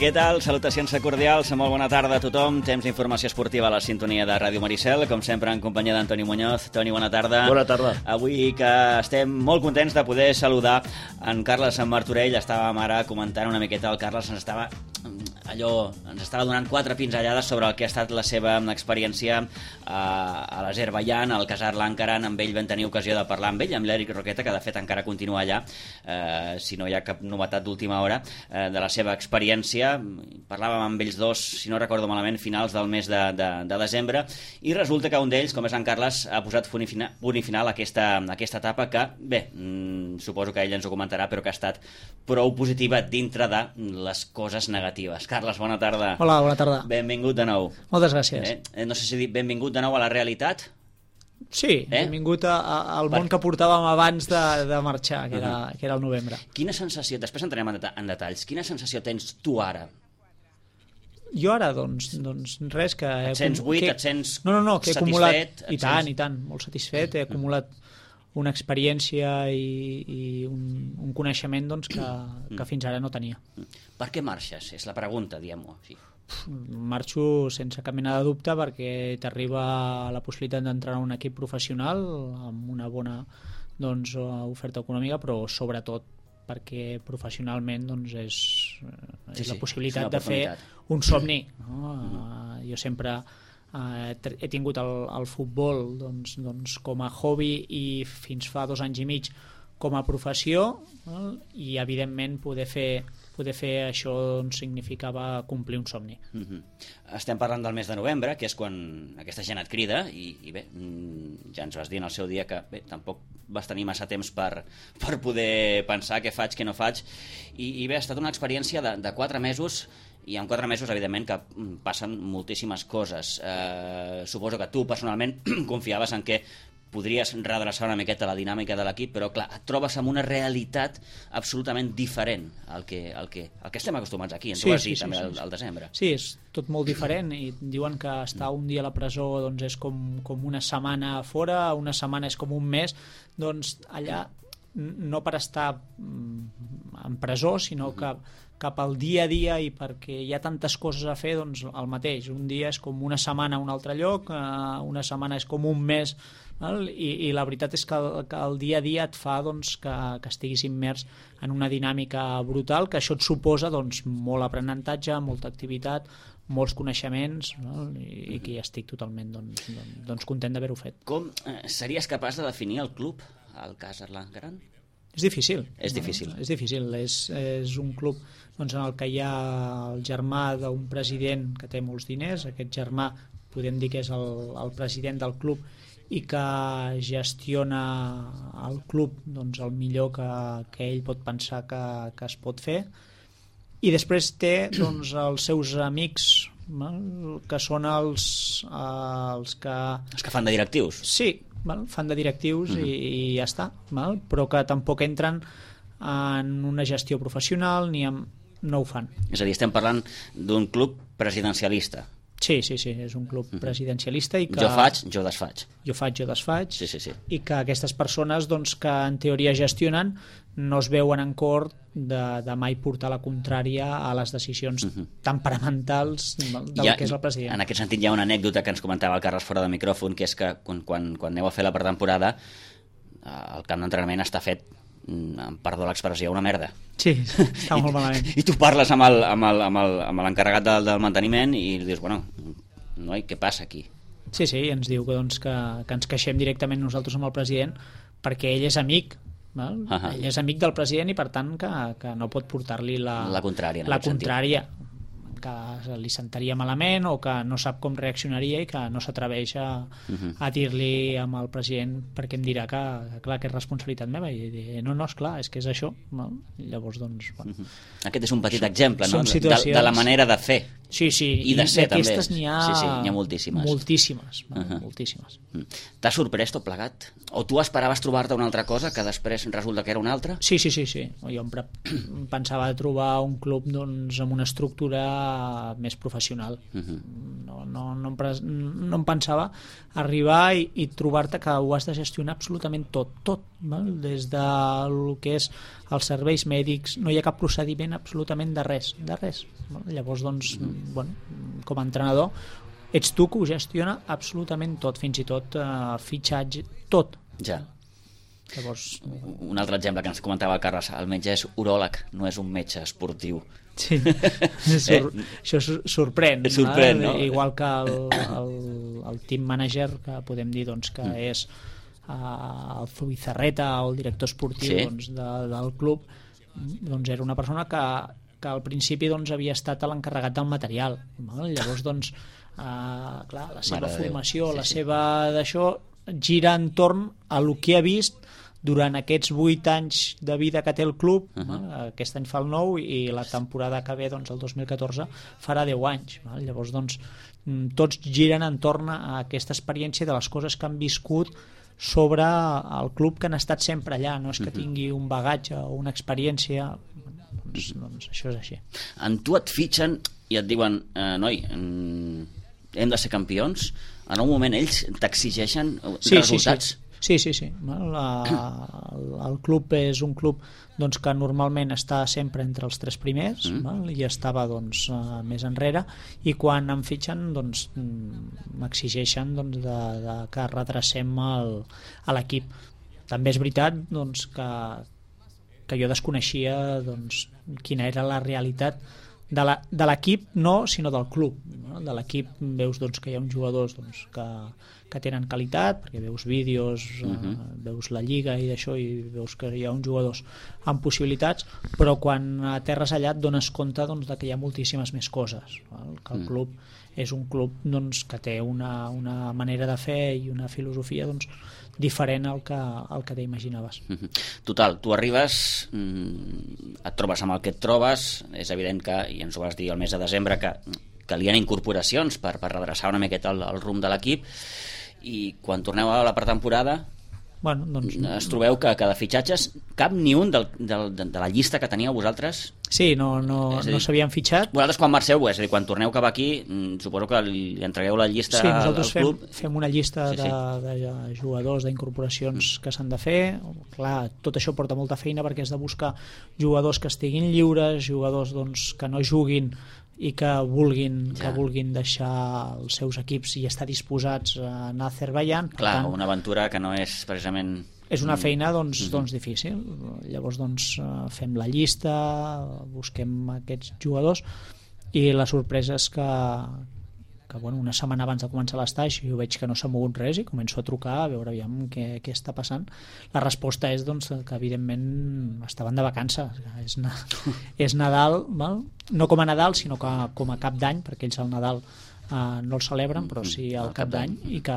Què tal? Salutacions cordials, molt bona tarda a tothom. Temps d'informació esportiva a la sintonia de Ràdio Maricel, com sempre en companyia d'Antoni Muñoz. Toni, bona tarda. Bona tarda. Avui que estem molt contents de poder saludar en Carles Martorell. Estàvem ara comentant una miqueta, el Carles ens estava donant 4 pinzellades sobre el que ha estat la seva experiència a l'Azerbaidjan, al Khazar Lankaran. Amb ell vam tenir ocasió de parlar amb ell, amb l'Eric Roqueta, que de fet encara continua allà, si no hi ha cap novetat d'última hora, de la seva experiència. Parlàvem amb ells dos, si no recordo malament, finals del mes de desembre, i resulta que un d'ells, com és en Carles, ha posat punt i final a aquesta etapa que, bé, suposo que ell ens ho comentarà, però que ha estat prou positiva dintre de les coses negatives. Carles, bona tarda. Hola, bona tarda. Benvingut de nou. Moltes gràcies. No sé si dir benvingut de nou a la realitat. Sí, benvingut al món que portàvem abans de marxar, que era el novembre. Quina sensació, després entrem en detalls, quina sensació tens tu ara? Jo ara, doncs res, que... Et sents buit, et sents que he acumulat, satisfet? I tant, molt satisfet, he acumulat una experiència i un coneixement doncs, que fins ara no tenia. Per què marxes? És la pregunta, diguem-ho així. Marxo sense cap mena de dubte perquè t'arriba la possibilitat d'entrar en un equip professional amb una bona oferta econòmica, però sobretot perquè professionalment és la possibilitat de fer un somni. Jo sempre he tingut el futbol com a hobby i fins fa 2 anys i mig com a professió, i evidentment poder fer això significava complir un somni. Estem parlant del mes de novembre, que és quan aquesta gent et crida, i bé, ja ens vas dir en el seu dia que bé, tampoc vas tenir massa temps per poder pensar què faig, què no faig, i bé, ha estat una experiència de 4 mesos, i en 4 mesos, evidentment, que passen moltíssimes coses. Suposo que tu, personalment, confiaves en que podries redreçar una miqueta la dinàmica de l'equip, però clar, et trobes amb una realitat absolutament diferent al que estem acostumats aquí, ens ho vas dir també al desembre. Sí, és tot molt diferent, i diuen que estar un dia a la presó és com una setmana a fora, una setmana és com un mes. Doncs allà, no per estar en presó, sinó que cap al dia a dia, i perquè hi ha tantes coses a fer, doncs el mateix. Un dia és com una setmana a un altre lloc, una setmana és com un mes, i la veritat és que el dia a dia et fa que estiguis immers en una dinàmica brutal, que això et suposa molt aprenentatge, molta activitat, molts coneixements, i que ja estic totalment content d'haver-ho fet. Com series capaç de definir el club, el Khazar Lankaran? És difícil. És difícil. És difícil. És un club en el que hi ha el germà d'un president que té molts diners. Aquest germà podem dir que és el president del club i que gestiona el club el millor que ell pot pensar que es pot fer. I després té els seus amics, que són els que... Els que fan de directius. Sí, fan de directius i ja està, però que tampoc entren en una gestió professional no ho fan. És a dir, estem parlant d'un club presidencialista. Sí, és un club presidencialista i que... Jo faig, jo desfaig. Jo faig, jo desfaig. Sí. I que aquestes persones que en teoria gestionen no es veuen en cor de mai portar la contrària a les decisions temperamentals del que és el president. En aquest sentit hi ha una anècdota que ens comentava el Carles fora de micròfon, que és que quan aneu a fer la pretemporada, el camp d'entrenament està fet, perdó l'expressió, una merda. Sí, està molt malament. I tu parles amb l'encarregat del manteniment i dius, bueno, noi, què passa aquí? Sí, ens diu que ens queixem directament nosaltres amb el president perquè ell és amic. Ell és amic del president i per tant que no pot portar-li la contrària, que li sentaria malament o que no sap com reaccionaria i que no s'atreveix a dir-li amb el president perquè em dirà que clar, que és responsabilitat meva, i dir, no, esclar, és que és això, I llavors aquest és un petit exemple, no? De la manera de fer. Sí, i de ser també. Aquestes n'hi ha moltíssimes. Moltíssimes. T'ha sorprès tot plegat? O tu esperaves trobar-te una altra cosa que després resulta que era una altra? Sí. Jo em pensava trobar un club amb una estructura més professional. No em pensava arribar i trobar-te que ho has de gestionar absolutament tot, val? Des del que és els serveis mèdics, no hi ha cap procediment absolutament de res. Val? Llavors, doncs, com a entrenador, ets tu que ho gestiona absolutament tot, fins i tot fitxatge, tot. Ja. Llavors, un altre exemple que ens comentava el Carles, el metge és uròleg, no és un metge esportiu. Sí, això sorprèn, no? Igual que el team manager, que podem dir doncs, que és el Zubizarreta o el director esportiu del club, doncs era una persona que al principi doncs, havia estat l'encarregat del material, val? Llavors doncs clar, la seva formació, la seva d'això gira entorn a el que ha vist durant aquests 8 anys de vida que té el club. Aquest any fa el 9 i la temporada que ve, doncs, el 2014 farà 10 anys, val? Llavors doncs, tots giren entorn a aquesta experiència de les coses que han viscut sobre el club, que han estat sempre allà, no és que tingui un bagatge o una experiència, doncs això és així. En tu et fitxen i et diuen, noi, hem de ser campions. En un moment ells t'exigeixen resultats. Sí. El club és un club doncs, que normalment està sempre entre els 3 primers, val? I estava doncs, més enrere, i quan em fitxen doncs, m'exigeixen doncs, que redrecem l'equip. També és veritat doncs, que jo desconeixia doncs, quina era la realitat de l'equip, no, sinó del club. No? De l'equip veus doncs, que hi ha uns jugadors doncs, que tenen qualitat, perquè veus vídeos, veus la lliga i d'això, i veus que hi ha uns jugadors amb possibilitats, però quan aterres allà et dones compte doncs, de que hi ha moltíssimes més coses. Val? Que el club és un club doncs, que té una manera de fer i una filosofia doncs, diferent al que t'imaginaves. Total, tu arribes, et trobes amb el que et trobes, és evident que, i ens ho vas dir el mes de desembre, que calien incorporacions per redreçar una miqueta el rumb de l'equip, i quan torneu a la pretemporada doncs, es trobeu que de fitxatges cap ni un de la llista que teníeu vosaltres. Sí, no s'havien fitxat. Vosaltres quan marxeu, és a dir, quan torneu cap aquí, suposo que li entregueu la llista al club. Sí, nosaltres fem una llista de jugadors, d'incorporacions que s'han de fer. Clar, tot això porta molta feina perquè has de buscar jugadors que estiguin lliures, jugadors doncs, que no juguin i que vulguin deixar els seus equips i estar disposats a anar a Azerbaiyán. Clar, una aventura que no és precisament... És una feina doncs, difícil. Llavors doncs, fem la llista, busquem aquests jugadors, i la sorpresa és que una setmana abans de començar l'estatge jo veig que no s'ha mogut res i començo a trucar a veure aviam què està passant. La resposta és doncs, que evidentment estaven de vacances. És Nadal, val? No com a Nadal sinó com a cap d'any, perquè ells al Nadal no el celebren, però sí al cap d'any, i que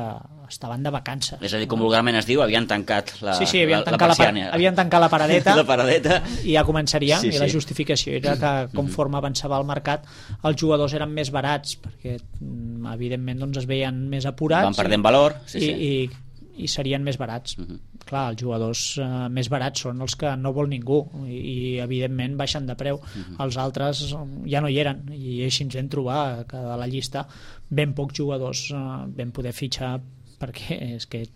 estaven de vacances. És a dir, com vulgarment es diu, havien tancat la persiana. Havien tancat la paradeta, la paradeta, i ja començaria, i la justificació era que conforme avançava el mercat els jugadors eren més barats, perquè evidentment doncs, es veien més apurats, van perdent valor, i serien més barats. Clar, els jugadors més barats són els que no vol ningú, i evidentment baixen de preu. Els altres ja no hi eren, i així ens vam trobar que de la llista ben pocs jugadors vam poder fitxar, perquè és que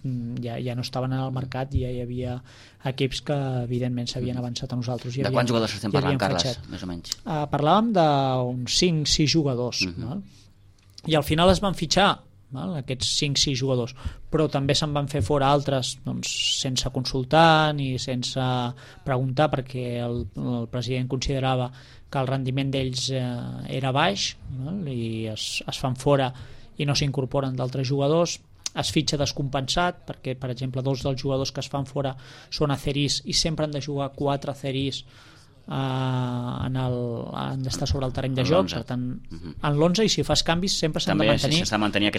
ja no estaven en el mercat, i ja hi havia equips que evidentment s'havien avançat a nosaltres. De quants jugadors estem parlant, Carles, més o menys? Parlàvem d'uns 5-6 jugadors, val? I al final es van fitxar, val? Aquests 5-6 jugadors, però també se'n van fer fora altres doncs, sense consultar ni sense preguntar, perquè el president considerava que el rendiment d'ells era baix, val? I es fan fora i no s'incorporen d'altres jugadors. Es fitxa descompensat, perquè per exemple 2 dels jugadors que es fan fora són azeris i sempre han de jugar 4 azeris, han d'estar sobre el terreny de joc, per tant en l'11, i si fas canvis sempre s'han de mantenir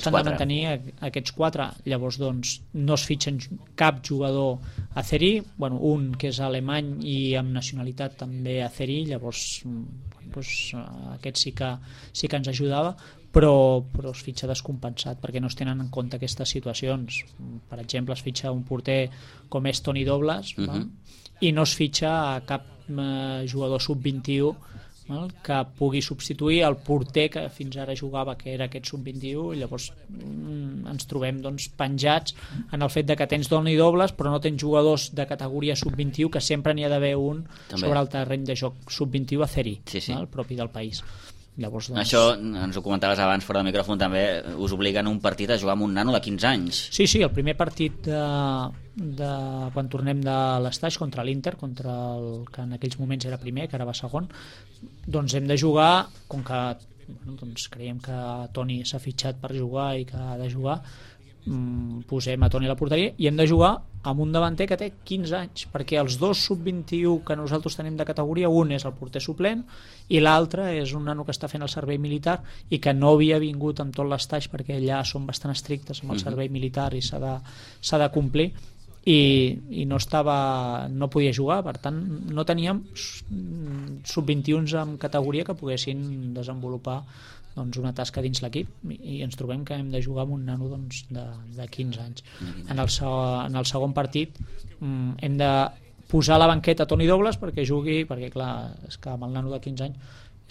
aquests 4. Llavors doncs no es fitxen cap jugador azeri, un que és alemany i amb nacionalitat també azeri, llavors aquest sí que ens ajudava, però es fitxa descompensat perquè no es tenen en compte aquestes situacions. Per exemple, es fitxa un porter com és Toni Dobles, i no es fitxa a cap jugador sub-21 que pugui substituir el porter que fins ara jugava, que era aquest sub-21, i llavors ens trobem doncs, penjats en el fet de que tens dona i dobles però no tens jugadors de categoria sub-21, que sempre n'hi ha d'haver un també sobre el terreny de joc sub-21 a Ceri, el propi del país. Llavors, doncs... Això ens ho comentaves abans fora del micròfon, també us obliguen un partit a jugar amb un nano de 15 anys. Sí, el primer partit de quan tornem de l'estaix contra l'Inter, contra el que en aquells moments era primer, que ara va segon, doncs hem de jugar, com que doncs creiem que Toni s'ha fitxat per jugar i que ha de jugar, posem a Toni a la porteria i hem de jugar amb un davanter que té 15 anys, perquè els dos sub-21 que nosaltres tenim de categoria, un és el porter suplent i l'altre és un nano que està fent el servei militar i que no havia vingut amb tot l'estaix, perquè allà són bastant estrictes amb el servei militar i s'ha de complir, i no podia jugar, per tant no teníem sub-21s en categoria que poguessin desenvolupar doncs, una tasca dins l'equip, i ens trobem que hem de jugar amb un nano doncs, de 15 anys. En el segon partit hem de posar a la banqueta Toni Dobles perquè jugui, perquè clar, és que amb el nano de 15 anys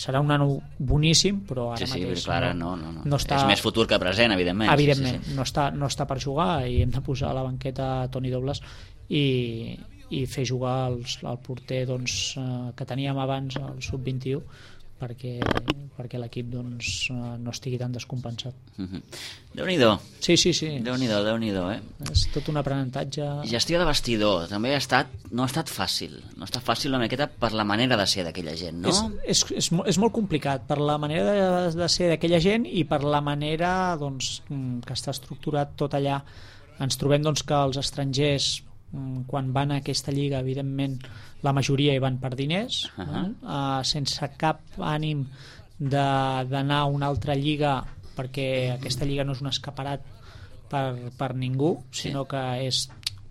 serà un nano boníssim, però ara mateix clar, no està... És més futur que present, evidentment. Evidentment, sí. No està per jugar, i hem de posar a la banqueta Toni Dobles i fer jugar el porter doncs, que teníem abans, el sub-21, perquè l'equip doncs, no estigui tan descompensat. Déu-n'hi-do. Sí. Déu-n'hi-do, És tot un aprenentatge. Gestió de vestidor també no ha estat fàcil. No ha estat fàcil una miqueta per la manera de ser d'aquella gent, no? És molt complicat per la manera de ser d'aquella gent i per la manera doncs, que està estructurat tot allà. Ens trobem doncs, que els estrangers, quan van a aquesta lliga, evidentment la majoria hi van per diners, sense cap ànim d'anar a una altra lliga, perquè aquesta lliga no és un escaparat per ningú, sinó que és,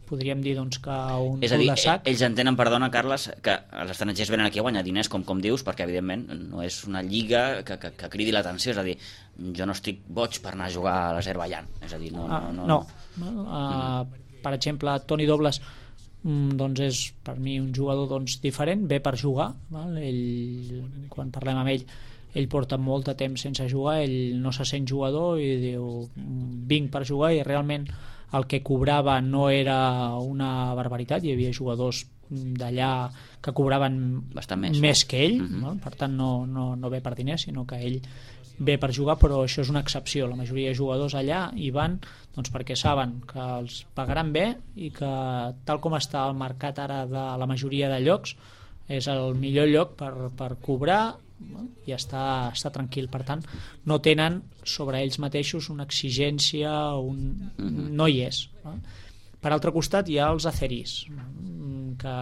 podríem dir doncs, que un cul de sac. Ells entenen, perdona Carles, que els estrangers venen aquí a guanyar diners, com dius, perquè evidentment no és una lliga que cridi l'atenció, és a dir, jo no estic boig per anar a jugar a l'Azerbaidjan, és a dir, no. Per exemple, Toni Dobles doncs és per mi un jugador doncs, diferent, ve per jugar, val? Quan parlem amb ell porta molt de temps sense jugar, ell no se sent jugador i diu vinc per jugar, i realment el que cobrava no era una barbaritat, hi havia jugadors d'allà que cobraven bastant més que ell, per tant no ve per diners, sinó que ell ve per jugar, però això és una excepció. La majoria de jugadors allà hi van doncs, perquè saben que els pagaran bé i que tal com està el mercat ara de la majoria de llocs és el millor lloc per cobrar i estar tranquil. Per tant, no tenen sobre ells mateixos una exigència, no hi és. Per altre costat hi ha els azeris, que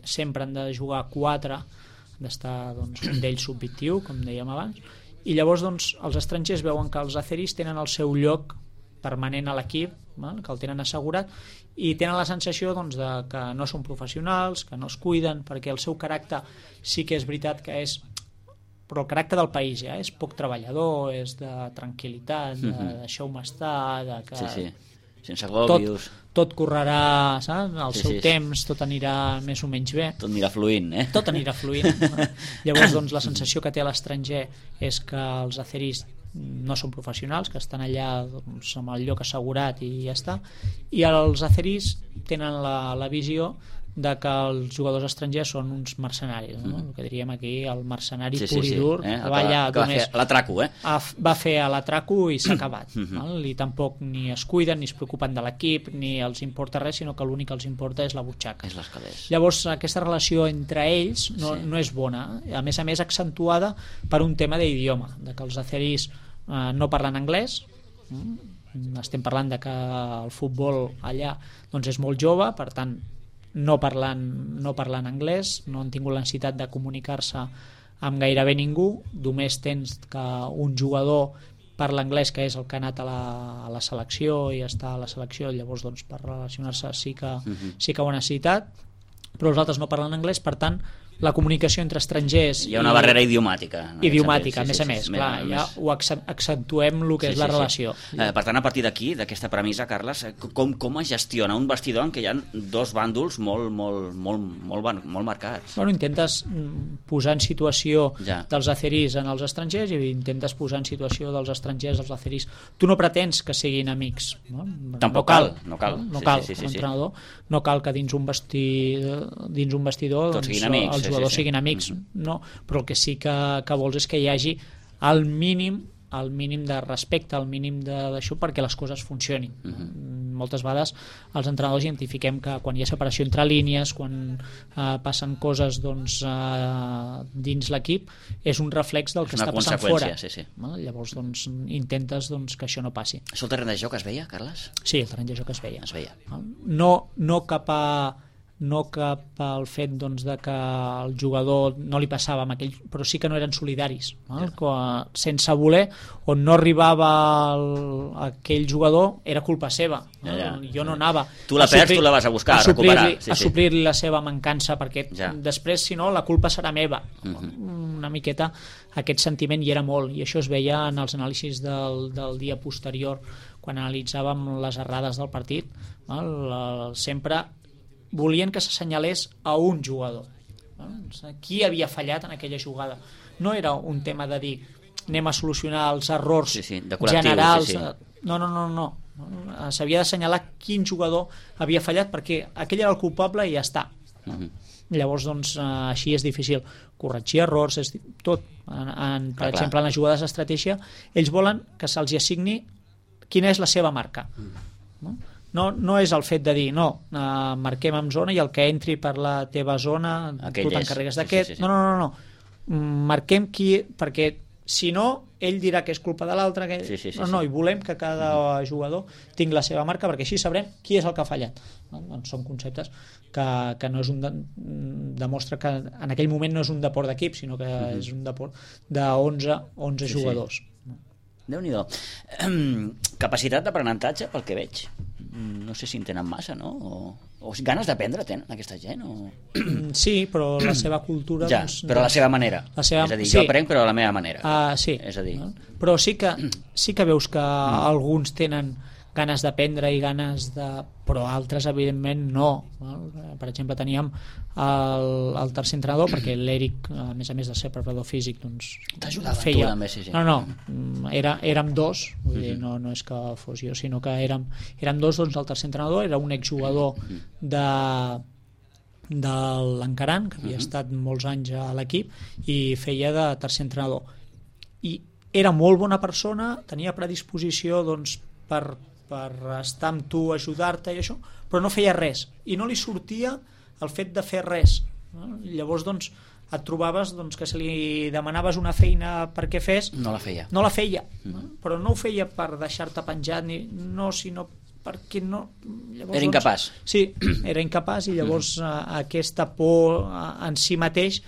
sempre han de jugar 4, d'estar doncs, un d'ells sub-21, com dèiem abans, i llavors doncs, els estrangers veuen que els azeris tenen el seu lloc permanent a l'equip, que el tenen assegurat, i tenen la sensació doncs, de que no són professionals, que no es cuiden, perquè el seu caràcter sí que és veritat que és, però el caràcter del país ja és poc treballador, és de tranquil·litat, de deixeu-me estar, de que sense glòbios, tot correrà, saps? Al seu temps tot anirà més o menys bé, tot anirà fluint, tot anirà fluint. Llavors doncs, la sensació que té l'estranger és que els azeris no són professionals, que estan allà doncs, amb el lloc assegurat i ja està, i els azeris tenen la visió de que els jugadors estrangers són uns mercenaris, no? El que diríem aquí, el mercenari pur i dur, que va allà només va fer a l'atraco i s'ha acabat, i tampoc ni es cuiden ni es preocupen de l'equip ni els importa res, sinó que l'únic que els importa és la butxaca. Llavors aquesta relació entre ells no és bona, a més accentuada per un tema d'idioma, de que els azeris no parlen anglès. Estem parlant de que el futbol allà doncs, és molt jove, per tant no parlant anglès, no han tingut la necessitat de comunicar-se amb gairebé ningú, només tens que un jugador parla anglès, que és el que ha anat a la selecció i està a la selecció, llavors doncs, per relacionar-se sí que ho ha necessitat, però els altres no parlen anglès, per tant la comunicació entre estrangers... Hi ha una barrera idiomàtica. Idiomàtica, a més. Clar, ja ho accentuem el que és la relació. Per tant, a partir d'aquí, d'aquesta premissa, Carles, com es gestiona un vestidor en què hi ha dos bàndols molt marcats? Bueno, intentes posar en situació dels azeris en els estrangers i intentes posar en situació dels estrangers als azeris. Tu no pretens que siguin amics. Tampoc cal. No cal, l'entrenador. No cal que dins un vestidor tots siguin amics, els jugadors siguin amics, no, però el que sí que vols és que hi hagi el mínim de respecte, el mínim d'això perquè les coses funcionin. Moltes vegades els entrenadors identifiquem que quan hi ha separació entre línies, quan passen coses dins l'equip, és un reflex del que està passant fora. Llavors intentes que això no passi. Això el terreny de joc es veia, Carles? Sí, el terreny de joc es veia. No cap al fet de que el jugador no li passava amb aquell, però sí que no eren solidaris, sense voler, on no arribava aquell jugador era culpa seva, jo no anava tu la perds, tu la vas a buscar, a recuperar a suplir-li la seva mancança, perquè després si no la culpa serà meva. Una miqueta aquest sentiment hi era molt, i això es veia en els anàlisis del dia posterior quan analitzàvem les errades del partit. Sempre volien que s'assenyalés a un jugador, qui havia fallat en aquella jugada. No era un tema de dir anem a solucionar els errors generals. No. S'havia d'assenyalar quin jugador havia fallat perquè aquell era el culpable i ja està. Llavors així és difícil corregir errors, tot. Per exemple, en les jugades d'estratègia ells volen que se'ls assigni quina és la seva marca. No és el fet de dir marquem en zona i el que entri per la teva zona tu t'encarregues d'aquest. No. Marquem qui, perquè si no ell dirà que és culpa de l'altre. No, i volem que cada jugador tingui la seva marca perquè així sabrem qui és el que ha fallat. Són conceptes que no és demostra que en aquell moment no és un deport d'equip, sinó que és un deport de 11 jugadors. Déu-n'hi-do. Capacitat d'aprenentatge, pel que veig, no sé si en tenen massa, no? O ganes d'aprendre tenen aquesta gent? Sí, però la seva cultura... però a la seva manera. És a dir, jo aprenc però a la meva manera. Sí. És a dir... Però sí que veus que alguns tenen ganes d'aprendre i ganes de... però altres evidentment no. Per exemple, teníem el tercer entrenador, perquè l'Eric, a més de ser preparador físic, t'ajudava feia... tu també, No, érem dos, vull dir, no és que fos jo, sinó que érem dos, el tercer entrenador era un exjugador de l'Encaran, que havia estat molts anys a l'equip i feia de tercer entrenador, i era molt bona persona, tenia predisposició per estar amb tu, ajudar-te i això, però no feia res i no li sortia el fet de fer res. Llavors et trobaves que si li demanaves una feina perquè fes, no la feia. Però no ho feia per deixar-te penjat sinó perquè no... Llavors, era incapaç. Sí, era incapaç i llavors aquesta por en si mateix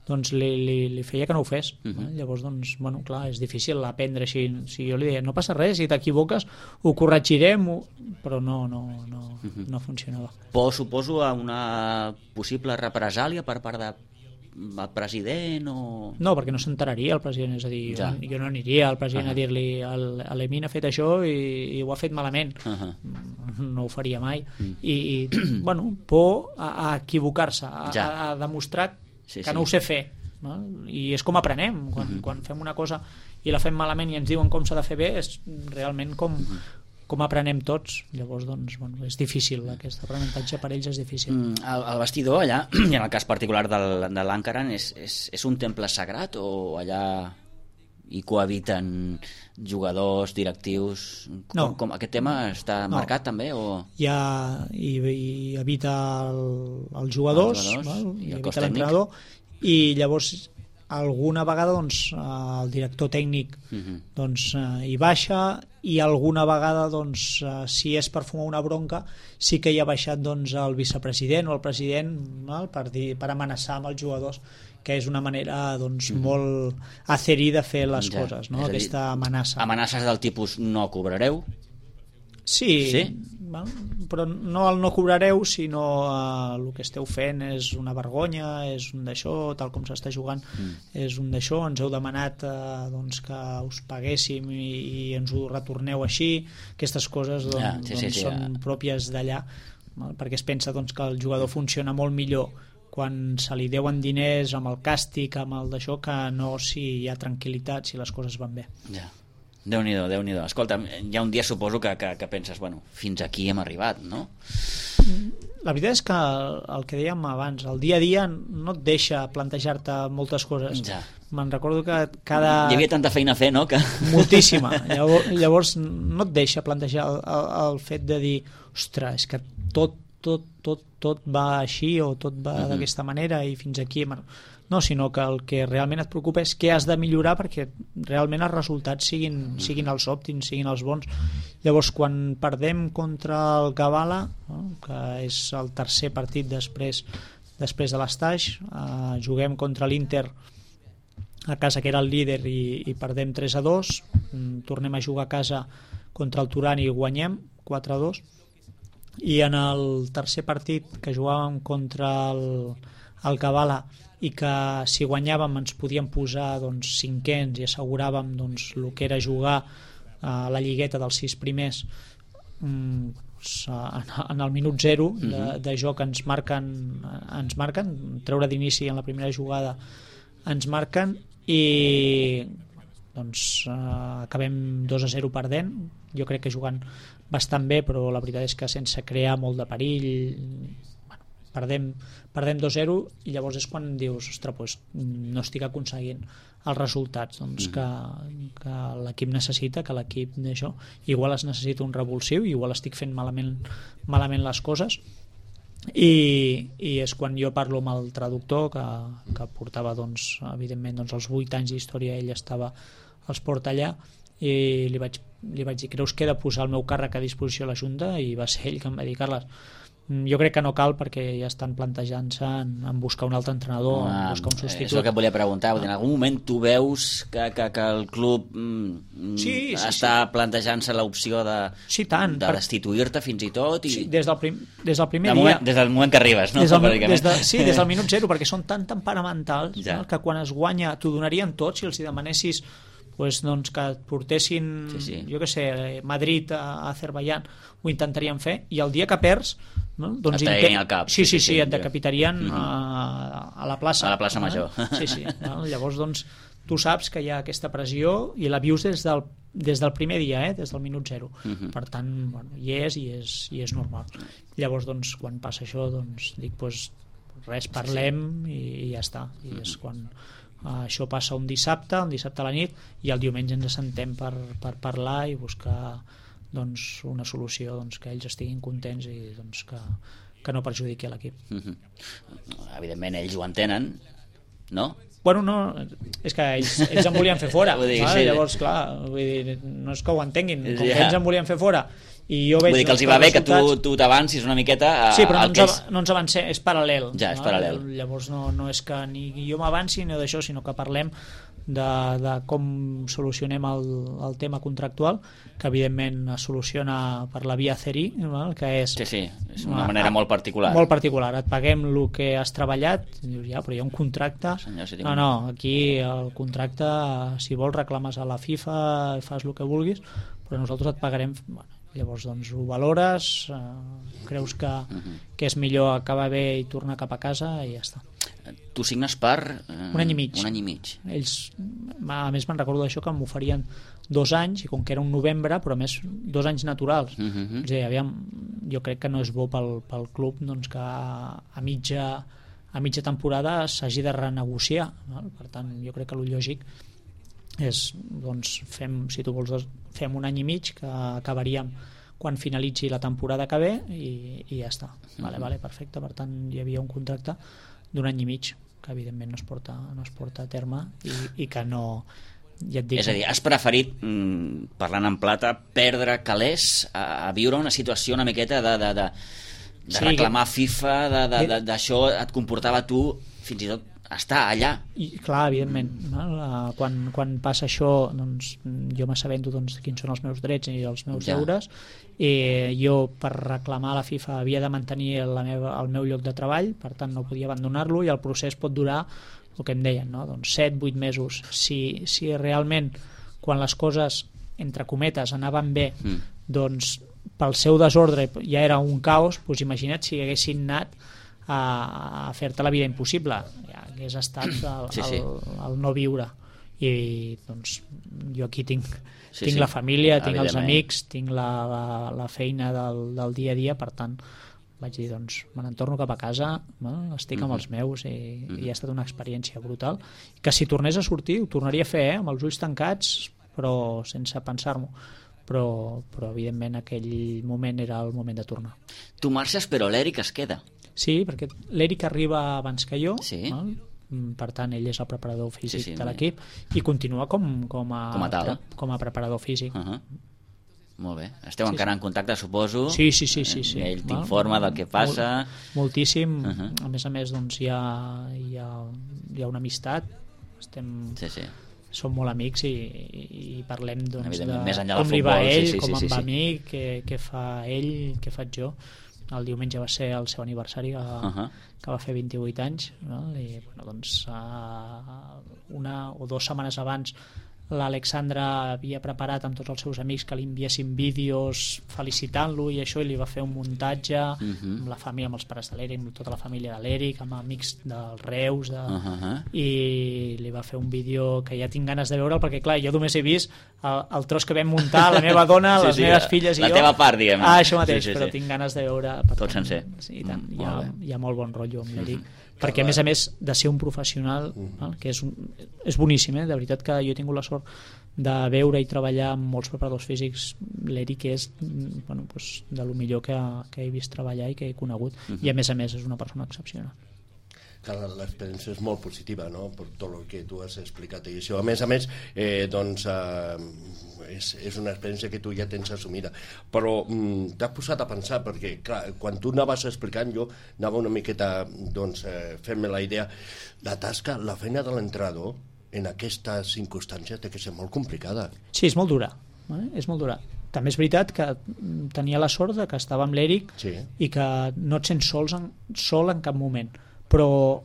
li feia que no ho fes. Llavors, clar, és difícil aprendre així. Si jo li deia, no passa res, si t'equivoques ho corregirem, però no funcionava. Por, suposo, a una possible represàlia per part del president o... No, perquè no s'enteraria el president, és a dir, jo no aniria al president a dir-li l'Emin ha fet això i ho ha fet malament. No ho faria mai. I por a equivocar-se, a demostrar que no ho sé fer, i és com aprenem quan fem una cosa i la fem malament i ens diuen com s'ha de fer bé, és realment com aprenem tots. Llavors és difícil, aquest aprenentatge per ells és difícil. El vestidor allà, i en el cas particular de l'Ankaran, és un temple sagrat o allà hi cohabiten jugadors, directius? Com aquest tema està marcat també? Hi habita els jugadors i habita l'entrenador, i llavors alguna vegada el director tècnic hi baixa, i alguna vegada si és per fumar una bronca sí que hi ha baixat el vicepresident o el president per amenaçar amb els jugadors, que és una manera molt acerí de fer les coses, aquesta amenaça. Amenaces del tipus no cobrareu? Sí, val? Però no el no cobrareu, sinó el que esteu fent és una vergonya, és un d'això, tal com s'està jugant, és un d'això, ens heu demanat doncs, que us paguéssim i ens ho retorneu així, aquestes coses són pròpies d'allà, perquè es pensa doncs, que el jugador funciona molt millor quan se li deuen diners amb el càstig, amb el d'això, que no si hi ha tranquil·litat, si les coses van bé. Ja. Déu-n'hi-do, Déu-n'hi-do. Escolta, hi ha un dia suposo que penses, bueno, fins aquí hem arribat, no? La veritat és que el que dèiem abans, el dia a dia no et deixa plantejar-te moltes coses. Ja. Me'n recordo que cada... Hi havia tanta feina a fer, no? Que... Moltíssima. Llavors no et deixa plantejar el fet de dir, ostres, és que tot va així o tot va d'aquesta manera i fins aquí... No, sinó que el que realment et preocupa és què has de millorar perquè realment els resultats siguin els òptims, siguin els bons. Llavors, quan perdem contra el Gavalla, no? Que és el tercer partit després de l'Estaix, juguem contra l'Inter a casa, que era el líder, i perdem 3-2, tornem a jugar a casa contra el Turan i guanyem 4-2, i en el tercer partit que jugàvem contra el Gavalla i que si guanyàvem ens podíem posar doncs, cinquens i asseguràvem doncs, el que era jugar a la lligueta dels 6 primers, en el minut 0 de joc ens marquen, treure d'inici en la primera jugada ens marquen i doncs acabem 2-0 perdent. Jo crec que jugant bastant bé, però la veritat és que sense crear molt de perill, perdem 2-0 i llavors és quan dius, ostres, doncs no estic aconseguint els resultats doncs, que l'equip necessita, que l'equip d'això, igual es necessita un revulsiu, igual estic fent malament les coses, i és quan jo parlo amb el traductor que portava doncs, evidentment doncs, els 8 anys d'història, ell estava als porta allà, i li vaig dir, creus que he de posar el meu càrrec a disposició a la Junta? I va ser ell que em va dir, Carles, jo crec que no cal perquè ja estan plantejant-se en buscar un altre entrenador, en buscar un substitut. És el que et volia preguntar, en algun moment tu veus que el club està plantejant-se l'opció de destituir-te fins i tot? Sí, des del primer dia. Des del moment que arribes, no? Des del minut 0, perquè són tan temperamentals que quan es guanya t'ho donarien tot si els demanessis doncs que et portessin jo què sé, Madrid a Azerbaiyán, ho intentarien fer, i el dia que perds doncs et traguin al cap. Sí, et decapitarien a la plaça major. Llavors doncs tu saps que hi ha aquesta pressió i la vius des del primer dia, des del minut 0. Per tant, hi és normal. Llavors doncs quan passa això doncs dic, res, parlem i ja està. I és quan això passa un dissabte a la nit, i el diumenge ens assentem per parlar i buscar doncs, una solució que ells estiguin contents i doncs, que no perjudiqui l'equip. Evidentment ells ho entenen, no? Bueno, no, és que ells em volien fer fora. Llavors, clar, no és que ho entenguin, com que ells em volien fer fora i jo veig, vull dir que els hi va bé que tu t'avancis una miqueta però no ens avancem, és paral·lel. És paral·lel. Llavors no és que ni jo m'avanci ni d'això, sinó que parlem de com solucionem el tema contractual, que evidentment es soluciona per la via CERI, que és una manera molt particular. Molt particular, et paguem el que has treballat, i dius, però hi ha un contracte. No, aquí el contracte, si vols reclames a la FIFA, fas el que vulguis, però nosaltres et pagarem. Llavors doncs ho valores, creus que és millor acabar bé i tornar cap a casa i ja està. Tu signes per... un any i mig. Ells, a més me'n recordo d'això, que m'oferien 2 anys, i com que era un novembre, però a més 2 anys naturals. És a dir, aviam, jo crec que no és bo pel club doncs, que a mitja temporada s'hagi de renegociar, no? Per tant, jo crec que el lògic és, doncs, si tu vols, fem un any i mig, que acabaríem quan finalitzi la temporada que ve i ja està. Vale, perfecte. Per tant, hi havia un contracte d'1 any i mig que evidentment no es porta a terme i que no, ja et dic. És a dir, has preferit, parlant en plata, perdre calés a viure una situació una miqueta de reclamar FIFA, d'això et comportava tu fins i tot està allà. I clar, evidentment, no? Quan passa això, doncs, jo m'assabento quins són els meus drets i els meus deures, i jo per reclamar a la FIFA havia de mantenir el meu lloc de treball, per tant no podia abandonar-lo, i el procés pot durar el que em deien, no? Doncs 7-8 mesos. Si realment quan les coses entre cometes anaven bé, doncs pel seu desordre ja era un caos, doncs imagina't si haguessin anat a fer-te la vida impossible, ja hagués estat el no viure. I doncs jo aquí tinc la família, tinc els amics, tinc la feina del dia a dia, per tant vaig dir, doncs me n'entorno cap a casa, estic amb els meus, i ha estat una experiència brutal, que si tornés a sortir ho tornaria a fer, amb els ulls tancats, però sense pensar-m'ho, però evidentment aquell moment era el moment de tornar. Tu marxes però l'Eric es queda. Sí, perquè l'Eric arriba abans que jo, per tant ell és el preparador físic de l'equip, i continua com a preparador físic. Molt bé. Esteu encara en contacte, suposo? Sí. Ell t'informa del que passa? Moltíssim. A més, doncs, hi ha una amistat. Som molt amics i parlem, doncs, de com li va ell, com em va a mi, què fa ell, què faig jo. El diumenge va ser el seu aniversari, que va fer 28 anys, no? I doncs una o 2 setmanes abans l'Alexandra havia preparat amb tots els seus amics que li enviessin vídeos felicitant-lo i això, i li va fer un muntatge amb la família, amb els pares de l'Eric, amb tota la família de l'Eric, amb amics dels Reus, i li va fer un vídeo que ja tinc ganes de veure'l, perquè clar, jo només he vist el tros que vam muntar, la meva dona, les meves filles i jo. La teva part, diguem. Això mateix, però tinc ganes de veure tot sencer. Sí, tant. Hi ha molt bon rotllo amb l'Eric, perquè a més de ser un professional, que és boníssim, de veritat que jo he tingut la sort de veure i treballar amb molts preparadors físics. L'Eric és de lo millor que he vist treballar i que he conegut, i a més és una persona excepcional. L'experiència és molt positiva, no?, per tot el que tu has explicat, i això a més doncs és una experiència que tu ja tens assumida, però t'has posat a pensar, perquè clar, quan tu anaves explicant, jo anava una miqueta fent-me la idea, la tasca, la feina de l'entrenador en aquestes circumstàncies té que ser molt complicada. Sí, és molt dura, és molt dura. També és veritat que tenia la sort que estava amb l'Eric, i que no et sents sol en cap moment, però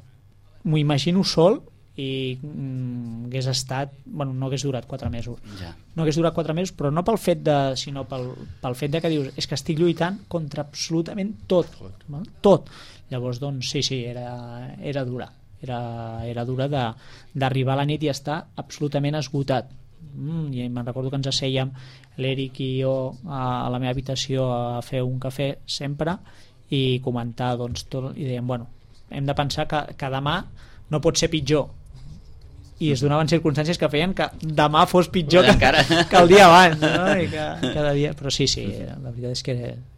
m'ho imagino sol i hagués estat, no hagués durat 4 mesos. No hagués durat 4 mesos, però no pel fet sinó pel fet que dius, és que estic lluitant contra absolutament tot. Llavors, doncs, sí, era dura. Era dura d'arribar a la nit i estar absolutament esgotat. I me'n recordo que ens assèiem l'Eric i jo a la meva habitació a fer un cafè sempre i comentar, doncs, tot, i dèiem, hem de pensar que demà no pot ser pitjor, i es donaven circumstàncies que feien que demà fos pitjor que el dia abans, no? I que cada dia, però sí, la veritat és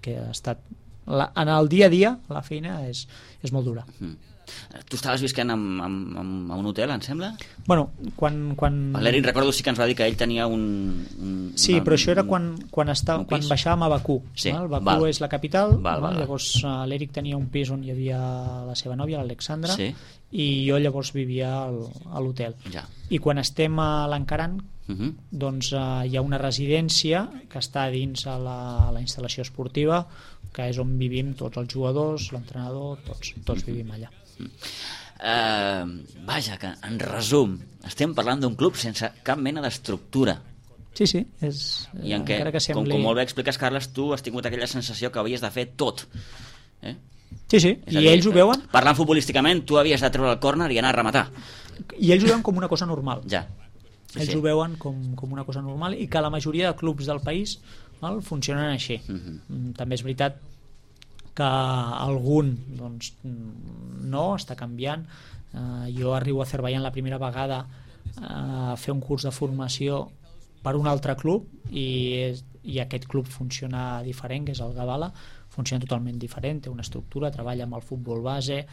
que ha estat en el dia a dia la feina és molt dura. Tu estaves visquent a un hotel, em sembla? Quan... L'Eric, recordo, sí que ens va dir que ell tenia un sí, però això era quan baixàvem a Bakú. Bakú és la capital, llavors l'Eric tenia un pis on hi havia la seva nòvia, l'Alexandra, i jo llavors vivia a l'hotel. I quan estem a l'Encaran, doncs hi ha una residència que està dins a la instal·lació esportiva, que és on vivim tots els jugadors, l'entrenador, tots vivim allà. Vaja, que en resum estem parlant d'un club sense cap mena d'estructura. Sí, i en què, com molt bé expliques, Carles, tu has tingut aquella sensació que havies de fer tot, Sí, i ells ho veuen. Parlant futbolísticament, tu havies de treure el córner i anar a rematar, i ells ho veuen com una cosa normal. Ells ho veuen com una cosa normal, i que la majoria de clubs del país funcionen així. També és veritat que algun no, està canviant. Jo arribo a Azerbaiyán la primera vegada a fer un curs de formació per un altre club, i aquest club funciona diferent, que és el Gabala, funciona totalment diferent, té una estructura, treballa amb el futbol base,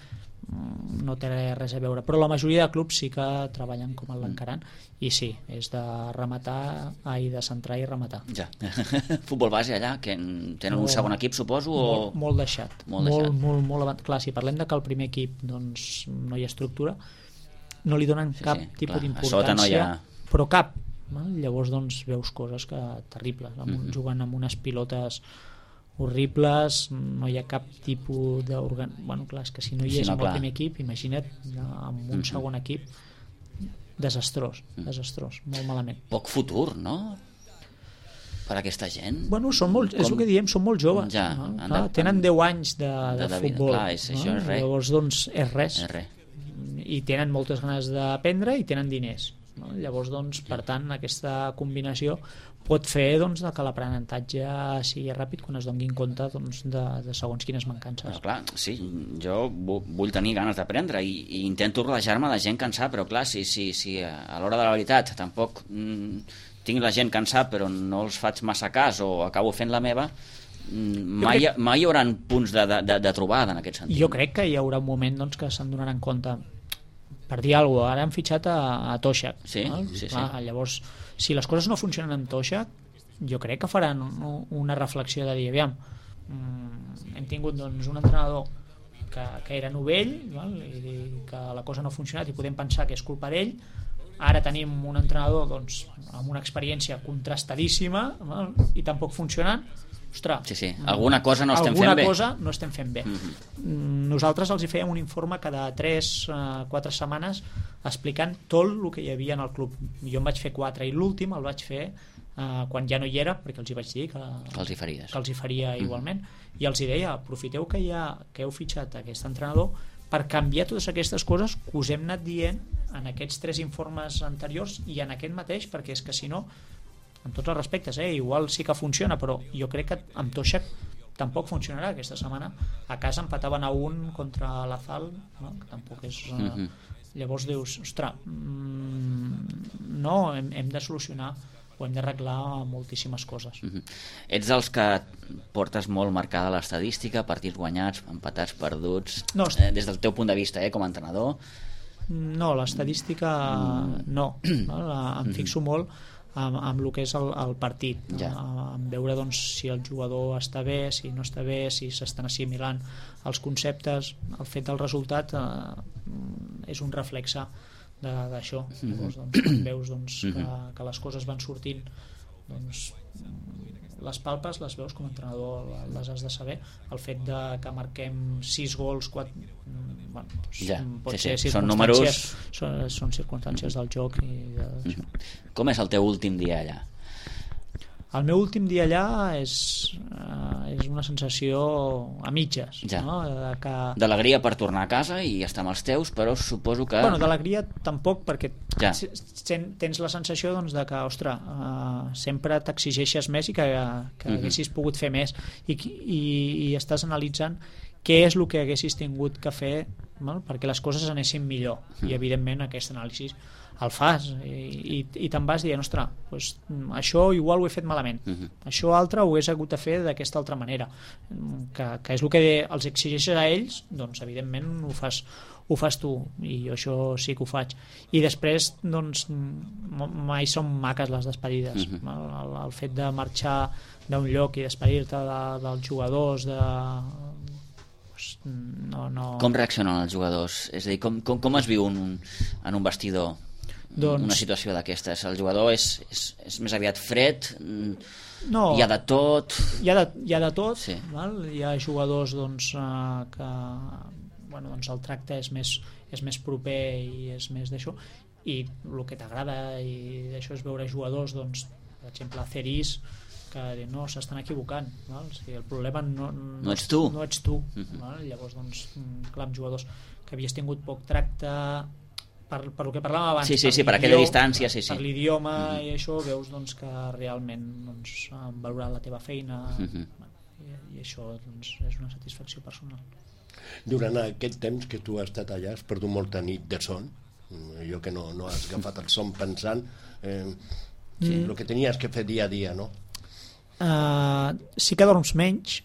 no té res a veure, però la majoria de clubs sí que treballen com l'Encaran, i sí, és de rematar, de centrar i rematar. Futbol base allà, que tenen un segon equip, suposo? Molt deixat. Molt, clar, si parlem de que el primer equip no hi ha estructura, no li donen cap tipus d'importància, no hi ha... però cap. Llavors doncs veus coses terribles, jugant amb unes pilotes horribles, no hi ha cap tipus d'organ... Bueno, clar, és que si no hi és amb el primer equip, imagina't amb un segon equip, desastrós, molt malament. Poc futur, no?, per aquesta gent. Bueno, és el que diem, són molt joves. Ja, clar, tenen 10 anys de futbol. Clar, això és res. Llavors, doncs, és res. I tenen moltes ganes d'aprendre i tenen diners. Llavors, doncs, per tant, aquesta combinació pot fer doncs, que l'aprenentatge sigui ràpid quan es donin compte doncs, de segons quines mancances. Clar, sí, jo vull tenir ganes d'aprendre i intento rodejar-me de gent que en sap, però clar, si a l'hora de la veritat tampoc tinc la gent que en sap però no els faig massa cas o acabo fent la meva, mai hi haurà punts de trobada en aquest sentit. Jo crec que hi haurà un moment doncs, que se'n donaran compte. Per dir alguna cosa, ara han fitxat a Toshak. Sí. Llavors, si les coses no funcionen amb Toshak, jo crec que faran una reflexió de dir, aviam, hem tingut doncs, un entrenador que era novell, i que la cosa no ha funcionat i podem pensar que és culpa d'ell. Ara tenim un entrenador doncs, amb una experiència contrastadíssima i tampoc funcionant. Ostres, alguna cosa no estem fent bé. Alguna cosa no estem fent bé. Nosaltres els hi fèiem un informe cada 3-4 setmanes explicant tot el que hi havia en el club. Jo en vaig fer 4 i l'últim el vaig fer quan ja no hi era, perquè els hi vaig dir que els hi faria igualment, i els hi deia, aprofiteu que heu fitxat aquest entrenador per canviar totes aquestes coses que us hem anat dient en aquests 3 informes anteriors i en aquest mateix, perquè és que si no, amb tots els respectes, igual sí que funciona, però jo crec que amb Toshak tampoc funcionarà. Aquesta setmana a casa empataven a 1 contra l'Azal, no? Que tampoc és... Llavors dius, ostres, no, hem de solucionar o hem d'arreglar moltíssimes coses. Ets dels que portes molt marcada l'estadística, partits guanyats, empatats, perduts, des del teu punt de vista com a entrenador? No, l'estadística no. Em fixo molt amb el que és el partit, en veure doncs, si el jugador està bé, si no està bé, si s'estan assimilant els conceptes. El fet del resultat és un reflexe d'això. Llavors, doncs, quan veus doncs, que les coses van sortint, doncs, les palpes, les veus com a entrenador, les has de saber. El fet que marquem 6 gols, 4... Bueno, pot ser són números, són circumstàncies del joc Com és el teu últim dia allà? El meu últim dia allà és una sensació a mitges, no? D'alegria per tornar a casa i estar amb els teus, però suposo que... Bueno, d'alegria tampoc, perquè tens la sensació doncs, de que, ostres, sempre t'exigeixes més i que haguessis pogut fer més i estàs analitzant què és el que haguessis tingut que fer perquè les coses anessin millor, i evidentment aquest anàlisi el fas i te'n vas dient, ostres, doncs, això igual ho he fet malament, això altre ho hagués hagut de fer d'aquesta altra manera, que és el que els exigeixes a ells, doncs evidentment ho fas tu, i jo això sí que ho faig. I després doncs mai són maques les despedides, el fet de marxar d'un lloc i despedir-te dels jugadors, no. Com reaccionen els jugadors? És a dir, com es viu en un vestidor una situació d'aquestes? El jugador és més aviat fred? No, hi ha de tot? Hi ha de tot, val? Hi ha jugadors doncs, que bueno, doncs el tracte és més proper i és més d'això, i el que t'agrada i d'això és veure jugadors, doncs, per exemple Ceris, que no, s'estan equivocant, val? O sigui, el problema no ets tu, val? Llavors doncs, clar, amb jugadors que havies tingut poc tracte per el que parlàvem abans, per aquella distància, per l'idioma i això, veus doncs, que realment doncs, han valorat la teva feina, i això doncs, és una satisfacció personal. Durant aquest temps que tu has estat allà has perdut molta nit de son, jo que no has agafat el son pensant el que tenies que fer dia a dia, no? Sí que dorms menys,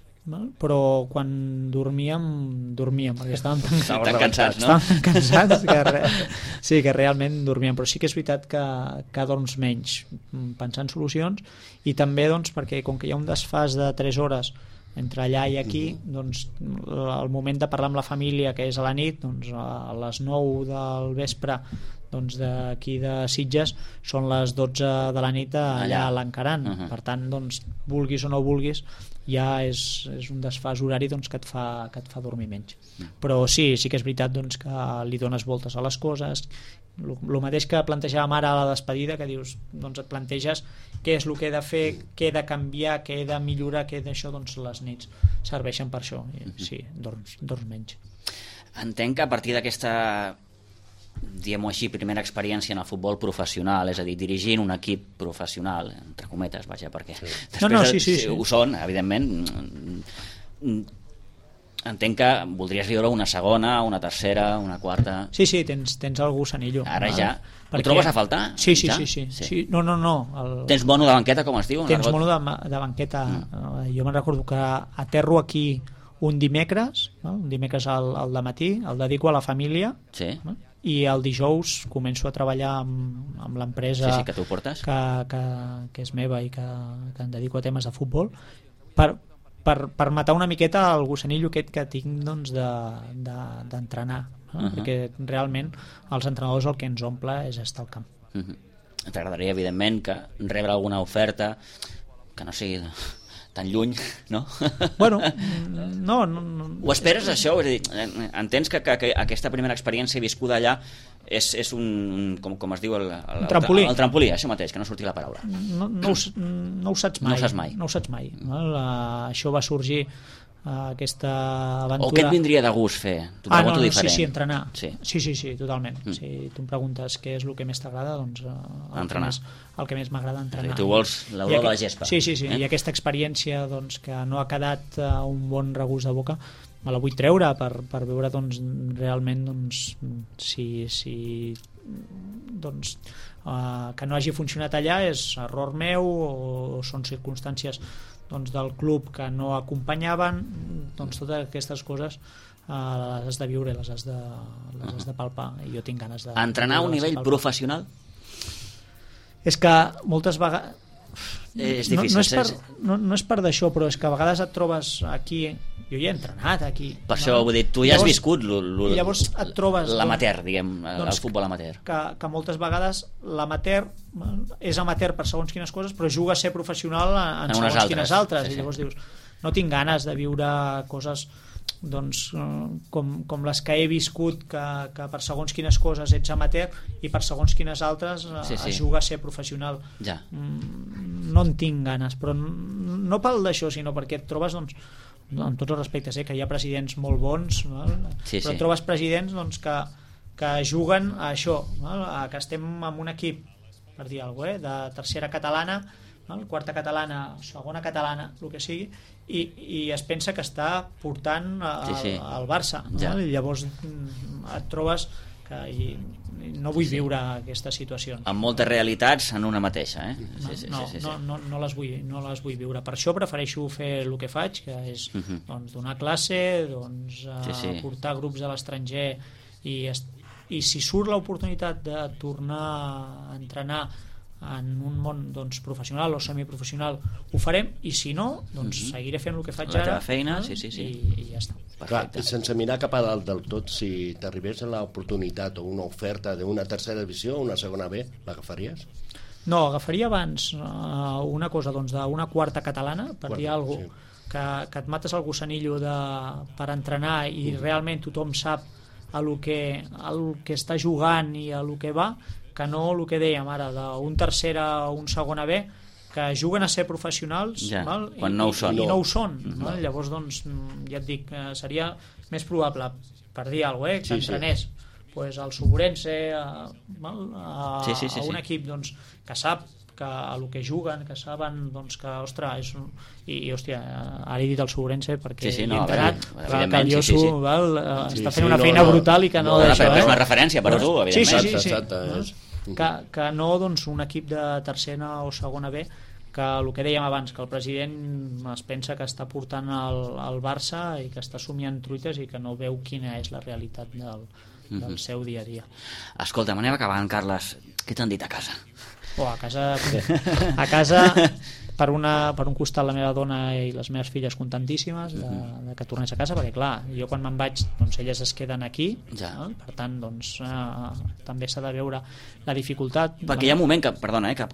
però quan dormíem perquè estàvem tan cansats, no? Estàvem cansats que realment dormíem, però sí que és veritat que dorms menys pensant solucions, i també doncs, perquè com que hi ha un desfàs de 3 hores entre allà i aquí, doncs el moment de parlar amb la família, que és a la nit, doncs a les 9 del vespre doncs d'aquí de Sitges són les 12 de la nit allà a l'Encaran. Per tant, doncs, vulguis o no vulguis, ja és un desfàs horari doncs, que et fa dormir menys. Però sí que és veritat doncs, que li dones voltes a les coses. El mateix que plantejàvem ara a la despedida, que dius, doncs et planteges què és el que he de fer, què he de canviar, què he de millorar, què he d'això, doncs les nits serveixen per això. Sí, dorms menys. Entenc que a partir d'aquesta, diguem-ho així, primera experiència en el futbol professional, és a dir, dirigint un equip professional, entre cometes, vaja, perquè després ho són, evidentment, entenc que voldries viure una segona, una tercera, una quarta... Sí, tens el gusanillo. Ara ja. Ho trobes a faltar? Sí. No. Tens mono de banqueta, com es diu? Tens mono de banqueta. Jo me'n recordo que aterro aquí un dimecres, no? Un dimecres al dematí, el dedico a la família, no? I el dijous començo a treballar amb l'empresa que tu portes, que és meva i que em dedico a temes de futbol, per matar una miqueta el gusanillo aquest que tinc doncs, d'entrenar, no? Perquè realment els entrenadors el que ens omple és estar al camp. T'agradaria, evidentment, que rebre alguna oferta que no sigui tan lluny, no? Bueno, no. Ho esperes, això? És a dir, entens que aquesta primera experiència viscuda allà és un, com es diu, el trampolí. El trampolí, això mateix, que no surti la paraula. No ho saps mai. No ho saps mai. Això va sorgir aquesta aventura. O què et vindria de gust fer? T'ho pregunto diferent. Sí, entrenar. Sí, totalment. Si tu em preguntes què és el que més t'agrada, doncs entrenar. El que més m'agrada entrenar. Tu vols l'olor de la gespa. Sí. I aquesta experiència doncs, que no ha quedat un bon regust de boca, me la vull treure per veure doncs, realment doncs, si doncs, que no hagi funcionat allà és error meu o són circumstàncies doncs, del club que no acompanyaven. Doncs totes aquestes coses les has de viure, les has de palpar, i jo tinc ganes de... Entrenar a un nivell professional? És que moltes vegades... És difícil. No és per d'això, però és que a vegades et trobes aquí... Jo hi he entrenat aquí. Per això, vull dir, tu ja has viscut llavors et trobes l'amateur, diguem, el futbol amateur. Que moltes vegades l'amateur és amateur per segons quines coses, però juga a ser professional en segons quines altres. I llavors dius, no tinc ganes de viure coses doncs, com les que he viscut, que per segons quines coses ets amateur i per segons quines altres es juga a ser professional. No en tinc ganes, però no pel d'això, sinó perquè et trobes doncs, en tots els respectes, que hi ha presidents molt bons, però trobes presidents doncs, que juguen a això, que estem en un equip, per dir alguna cosa, de tercera catalana, quarta catalana, segona catalana, el que sigui, i es pensa que està portant el Barça, i llavors et trobes que no vull viure aquestes situacions. Amb moltes realitats en una mateixa, No les vull viure. Per això prefereixo fer el que faig, que és doncs, donar classe, doncs, portar grups a l'estranger, i si surt l'oportunitat de tornar a entrenar en un món doncs, professional o semiprofessional, ho farem, i si no, doncs seguiré fent el que faig ara, feina, i ja està. Clar, sense mirar cap a dalt del tot, si t'arribés l'oportunitat o una oferta d'una tercera divisió o una segona B, l'agafaries? No, agafaria abans una cosa doncs, d'una quarta catalana, per dir alguna cosa, que et mates el gusanillo per entrenar i realment tothom sap el que està jugant i el que va, que no el que dèiem ara d'un tercera o un segona B, que juguen a ser professionals quan no ho són. I no ho són. Llavors, doncs, ja et dic, seria més probable, per dir alguna cosa, que entrenés pues, el Suburense a un equip doncs, que sap que el que juguen, que saben doncs, que, ostres, hòstia, ara he dit el Suburense perquè he entrenat, que el Josu està fent una feina brutal i que no d'això. És una referència per a tu, evidentment. Sí. Que no doncs, un equip de tercera o segona B, que el que dèiem abans, que el president es pensa que està portant el Barça i que està somiant truites i que no veu quina és la realitat del seu dia a dia. Escolta, anem acabant, Carles. Què t'han dit a casa? A casa per un costat la meva dona i les meves filles contentíssimes de que tornés a casa, perquè clar, jo quan me'n vaig doncs elles es queden aquí, no? Per tant doncs també s'ha de veure la dificultat, perquè hi ha un moment que, perdona, que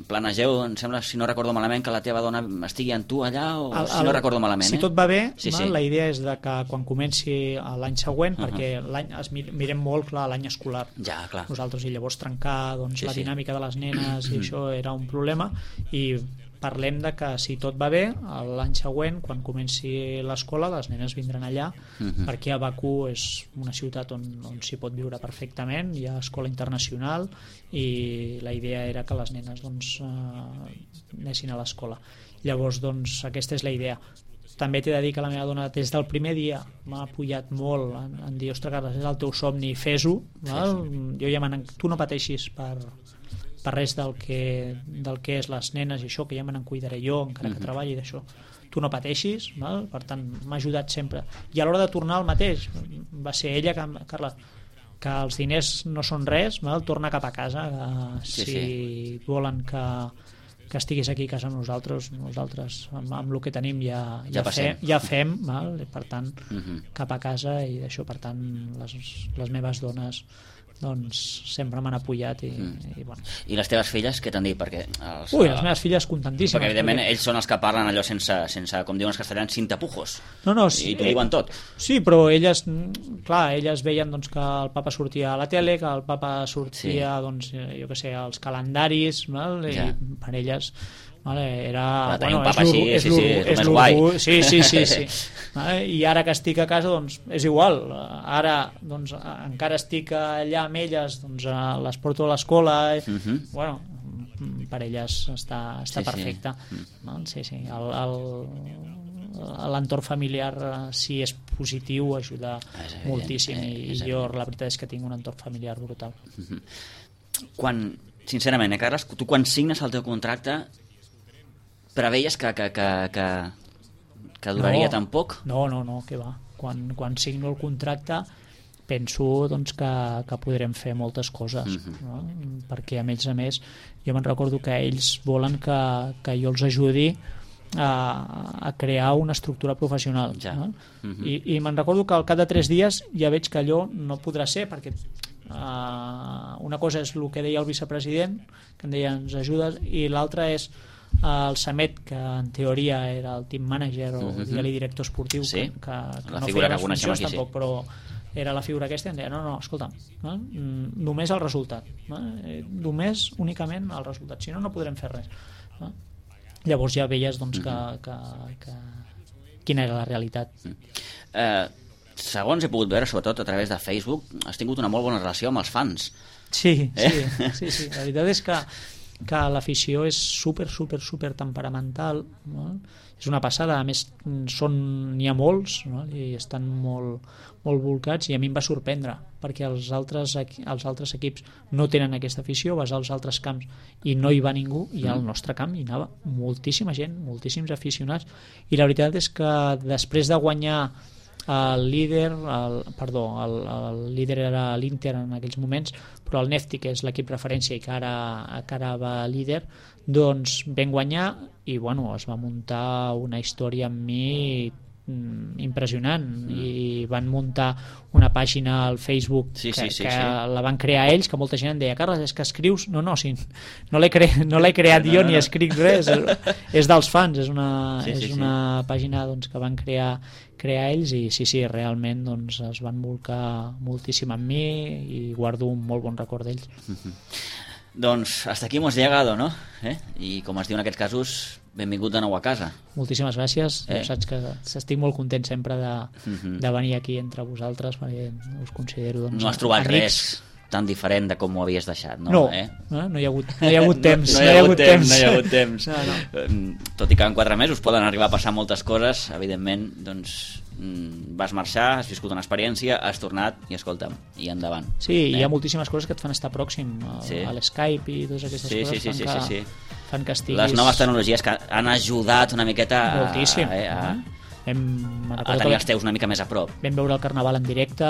planegeu, em sembla, si no recordo malament, que la teva dona estigui amb tu allà, o si no recordo malament, si tot va bé, sí. La idea és de que quan comenci l'any següent, perquè l'any mirem molt clar l'any escolar, clar. Nosaltres, i llavors trencar doncs, la dinàmica de les nenes i això era un problema, i parlem de que si tot va bé l'any següent, quan comenci l'escola, les nenes vindran allà, perquè a Bakú és una ciutat on s'hi pot viure perfectament, hi ha escola internacional i la idea era que les nenes doncs, anessin a l'escola. Llavors doncs, aquesta és la idea. També t'he de dir que la meva dona des del primer dia m'ha apoyat molt en dir, ostres Carles, és el teu somni, fes-ho, jo ja tu no pateixis per res del que és les nenes i això, que ja me n'en cuidaré jo encara que treballi d'això, tu no pateixis, val? Per tant m'ha ajudat sempre, i a l'hora de tornar al mateix va ser ella Carles, que els diners no són res, val? Torna cap a casa, si volen que estiguis aquí a casa amb nosaltres amb el que tenim ja fem, val? Per tant cap a casa, i d'això, per tant les meves dones doncs sempre m'han apoyat i bueno. I les teves filles què t'han dit? Perquè les meves filles contentíssimes, perquè evidentment ells són els que parlen allò sense com diuen els castellans, sin tapujos, sí, i t'ho diuen tot. Sí, però elles veien doncs, que el papa sortia a la tele, que el papa sortia doncs, jo què sé, als calendaris, val? I per elles era tenir un papa així és més guai. Sí. I ara que estic a casa doncs és igual, ara doncs encara estic allà amb elles, doncs les porto a l'escola, bueno, per elles està perfecte. Sí. L'entorn familiar, si és positiu, ajuda moltíssim, i jo la veritat és que tinc un entorn familiar brutal. Sincerament, Carles, tu quan signes el teu contracte preveies que duraria tan poc? No, què va. Quan signo el contracte penso doncs, que podrem fer moltes coses, no? Perquè a més jo me'n recordo que ells volen que jo els ajudi a crear una estructura professional, no? I me'n recordo que al cap de 3 dies ja veig que allò no podrà ser, perquè una cosa és el que deia el vicepresident, que em deia ens ajudes, i l'altra és el Samet, que en teoria era el team manager o digue-li director esportiu, que la no figura feia que coneixem aquí, tampoc, però era la figura aquesta, i em deia no, escolta, només el resultat, només únicament el resultat, si no podrem fer res. Llavors ja veies doncs, que quina era la realitat. Segons he pogut veure, sobretot a través de Facebook, has tingut una molt bona relació amb els fans. Sí. La veritat és que l'afició és super temperamental, no? És una passada, a més n'hi ha molts, no? I estan molt volcats, i a mi em va sorprendre perquè els altres equips no tenen aquesta afició, vas als altres camps i no hi va ningú, i al nostre camp hi anava moltíssima gent, moltíssims aficionats, i la veritat és que després de guanyar el líder era l'Inter en aquells moments, però el Nefti, que és l'equip referència i que ara va líder, doncs vam guanyar, i bueno, es va muntar una història amb mi impressionant, i van muntar una pàgina al Facebook que la van crear ells, que molta gent em deia Carles, és que escrius? No l'he creat jo, ni escric res, és dels fans, és una pàgina doncs, que van crear ells, i sí, realment doncs, es van volcar moltíssim amb mi i guardo un molt bon record d'ells. Doncs hasta aquí hemos llegado, no? I com es diu en aquests casos, benvingut de nou a casa. Moltíssimes gràcies, saps que estic molt content sempre de venir aquí entre vosaltres, perquè us considero doncs, no has trobat amics. Res tan diferent de com ho havies deixat, no? No hi ha hagut temps. No hi ha hagut temps. Tot i que en 4 mesos poden arribar a passar moltes coses, evidentment, doncs vas marxar, has viscut una experiència, has tornat i escolta'm, i endavant. Sí, hi ha moltíssimes coses que et fan estar pròxim a l'Skype i totes aquestes coses fan que estiguis... Les noves tecnologies que han ajudat una miqueta moltíssim. a tenir els teus una mica més a prop. Vam veure el Carnaval en directe,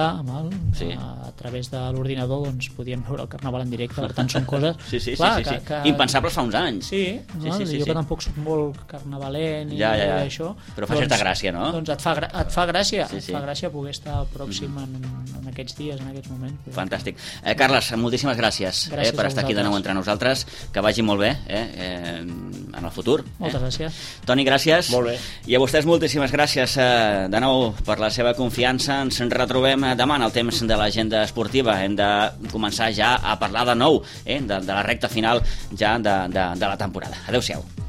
sí. A través de l'ordinador doncs podíem veure el Carnaval en directe, per tant són coses sí. Que... impensables fa uns anys. Sí. Jo que tampoc soc molt carnavalent i això, però fa certa gràcia, no? Doncs et fa gràcia, et fa gràcia poder estar pròxim en aquests dies, en aquests moments. Fantàstic. Carles, moltíssimes gràcies per estar aquí de nou entre nosaltres, que vagi molt bé en el futur. Moltes gràcies. Toni, gràcies. Molt bé. I a vostès moltíssimes gràcies de nou per la seva confiança. Ens retrobem demà en el temps de l'agenda esportiva. Hem de començar ja a parlar de nou de la recta final ja de la temporada. Adéu-siau.